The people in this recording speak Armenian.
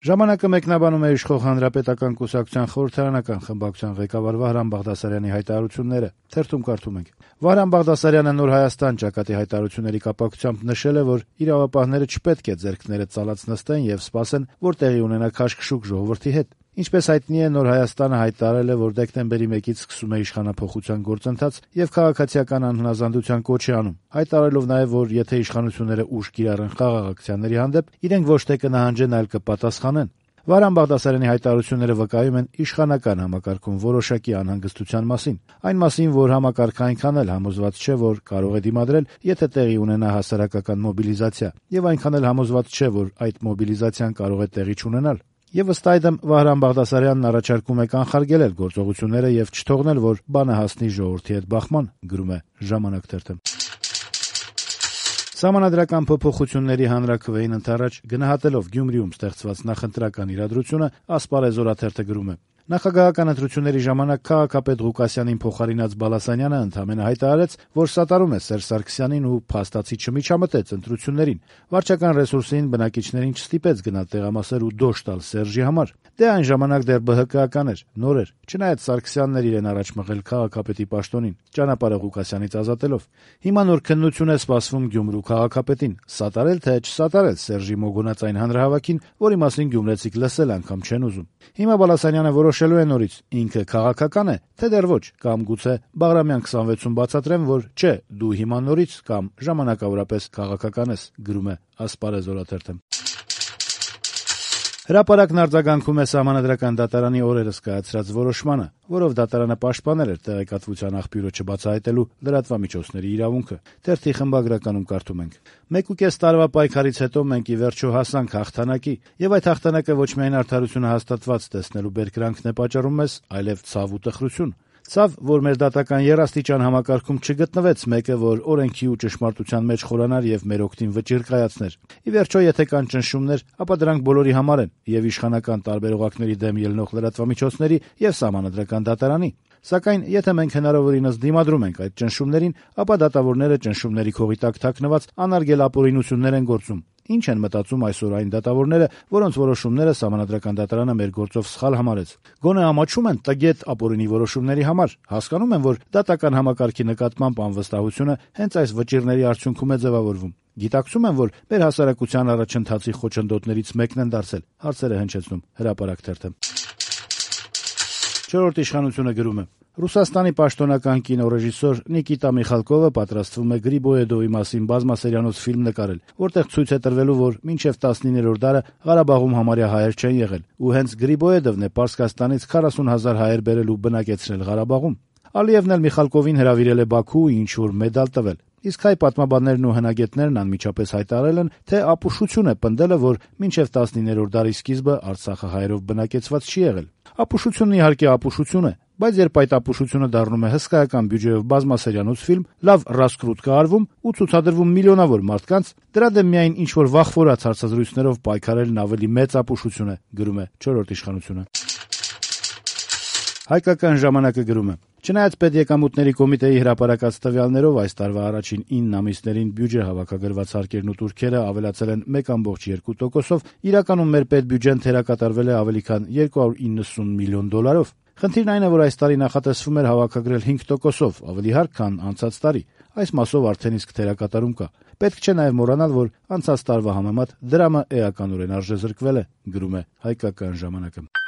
Ժամանակը մեկնաբանում է իշխող Հանրապետական կուսակցության խորհրդարանական խմբակցության ղեկավար Վահրամ Բաղդասարյանի հայտարարությունները։ Թերթում կարդում ենք. Վահրամ Բաղդասարյանը Նոր Հայաստան ճակատի հայտարարությունների կապակցությամբ նշել է, որ իրավապահները չպետք է ձեռքները ծալած նստեն եւ սպասեն, որ տեղի ունենա քաշքշուկ ժողովրդի հետ։ Ինչպես հայտնի է, Նոր Հայաստանը հայտարարել է, որ դեկտեմբերի 1-ից սկսում է իշխանափոխության գործընթաց եւ քաղաքացիական անհնազանդության կոչ է անում, հայտարարելով նաեւ, որ եթե իշխանությունները ուժ կիրառեն խաղաղ ակցիաների հանդեպ, իրենք ոչ թե կնահանջեն, այլ կպատասխանեն։ Վահրամ Բաղդասարյանի հայտարարությունները վկայում են իշխանական համակարգում որոշակի անհանգստության մասին, այն մասին, որ համակարգը այնքան էլ համոզված չէ, որ կարող է դիմադրել, եթե տեղի ունենա հասարակական մոբիլիզացիա, եւ այնքան էլ համոզված չէ, որ այդ մոբիլիզացիան կարող է տեղի չունենալ։ Եվ ըստ այդմ Վահրամ Բաղդասարյանն առաջարկում է կանխարգելել գործողությունները եւ չթողնել, որ բանը հասնի ժողովրդի հետ բախման, գրում է Ժամանակ թերթը։ Սահմանադրական փոփոխությունների հանրաքվեին ընդառաջ գնահատելով Գյումրիում ստեղծված նախընտրական իրադրությունը, Ասպարեզ օրաթերթը գրում է. Նախագահական ընտրությունների ժամանակ քաղաքապետ Ղուկասյանին փոխարինած Բալասանյանը ընդամենը հայտարարեց, որ սատարում է Սերժ Սարգսյանին ու փաստացի չմիջամտեց ընտրություններին։ Վարչական ռեսուրսին բնակիչներին չստիպեց գնալ տեղամասեր ու դոշ տալ Սերժի համար։ Դե այն ժամանակ դեռ ԲՀԿ-ական էր, նոր էր, չնայած Սարգսյանն էր իրեն առաջ մղել քաղաքապետի պաշտոնին, ճանապարհը Ղուկասյանից ազատելով։ Հիմա նոր քննություն է սպասվում Գյումրու քաղաքապետին՝ սատարել թե չսատարել Սերժի մոգոնած այն հանրահավաքին, որի մասին գյումրեցիք լսել անգամ չեն ուզում։ Հիմա Բալասանյանը որոշելու է նորից՝ ինքը քաղաքական է, թե դեռ ոչ, կամ գուցե Բաղրամյան 26-ում բացատրեմ, որ չէ, դու հիմա նորից կամ ժամանակավորապես քաղաքական ես, գրում է Ասպարեզ օրաթերթը։ Հրապարակն արձագանքում է Սահմանադրական դատարանի օրերս կայացրած որոշմանը, որով դատարանը պաշտպանել էր տեղեկատվության աղբյուրը չբացահայտելու լրատվամիջոցների իրավունքը։ Թերթի խմբագրականում կարդում ենք. 1.5 տարվա պայքարից հետո մենք ի վերջո հասանք հաղթանակի, եւ այդ հաղթանակը ոչ միայն արդարությունը հաստատված տեսնելու բերկրանքն է պատճառում մեզ, այլև ցավ ու տխրություն։ Ցավ, որ մեր դատական երաստիճան համակարգում չգտնվեց մեկը, որ օրենքի ու ճշմարտության մեջ խորանար եւ մեր օգտին վճիռ կայացներ։ Ի վերջո, եթե կան ճնշումներ, ապա դրանք բոլորի համար են, եւ իշխանական տարբերողակների դեմ ելնող լրատվամիջոցների եւ Սահմանադրական դատարանի։ Սակայն, եթե մենք հնարավորինս դիմադրում ենք այդ ճնշումներին, ապա դատավորները ճնշումների քողի տակ թաքնված անարգել ապօրինություններ են գործում։ Ինչ են մտածում այսօր այն դատավորները, որոնց որոշումները Սահմանադրական դատարանը մեր գործով սխալ համարեց։ Գոնե ամաչում են տգետ ապօրինի որոշումների համար, հասկանում են, որ դատական համակարգի նկատմամբ անվստահությունը հենց այս վճիռների արդյունքում է ձևավորվում։ Գիտակցում են, որ մեր հասարակության առաջընթացի խոչընդոտներից մեկն են դարձել, հարցերը հնչեցնում Հրապարակ թերթը։ Չորրորդ իշխանությունը գրում է. Ռուսաստանի պաշտոնական կինոռեժիսոր Նիկիտա Միխալկովը պատրաստվում է Գրիբոեդովի մասին բազմասերիանոց ֆիլմ նկարել, որտեղ ցույց է տրվելու, որ մինչև 19-րդ դարը Ղարաբաղում համարյա հայեր չեն եղել, ու հենց Գրիբոեդովն է Պարսկաստանից 40,000 հայեր բերել ու բնակեցրել Ղարաբաղում։ Ալիևն էլ Միխալկովին հրավիրել է Բաքու ու ինչ-որ մեդալ տվել։ Իսկ հայ պատմաբաններն ու հնագետներն անմիջապես հայտարարել են, թե ապուշություն է պնդելը, որ մինչև 19-րդ դարի սկիզբը Արցախը հայերով բնակեցված չի եղել։ Ապուշությունն իհարկե ապուշություն է, բայց երբ այդ ապուշությունը դառնում է հսկայական բյուջեով բազմասերիանոց ֆիլմ, լավ ռասկրուտ կատարվում ու ցուցադրվում միլիոնավոր մարդկանց, դրա դեմ միայն ինչ-որ վախվորած հարցազրույցներով պայքարելն ավելի մեծ ապուշություն է, գրում է Չորրորդ իշխանությունը։ Հայկական ժամանակը գրում է. Չնայած պետեկամուտների կոմիտեի հրապարակած տվյալներով այս տարվա առաջին 9 ամիսներին բյուջե հավաքագրված հարկերն ու տուրքերը ավելացել են 1.2%-ով, իրականում մեր պետբյուջեն թերակատարվել է ավելի քան 290 միլիոն դոլարով։ Խնդիրն այն է, որ այս տարի նախատեսվում էր հավաքագրել 5%-ով, ավելի հարկ, քան անցած տարի։ Այս մասով արդեն իսկ թերակատարում կա։ Պետք չէ նաև մոռանալ, որ անցած տարվա համեմատ դրամը էականորեն արժեզրկվել է, գրում է Հայկական ժամանակը։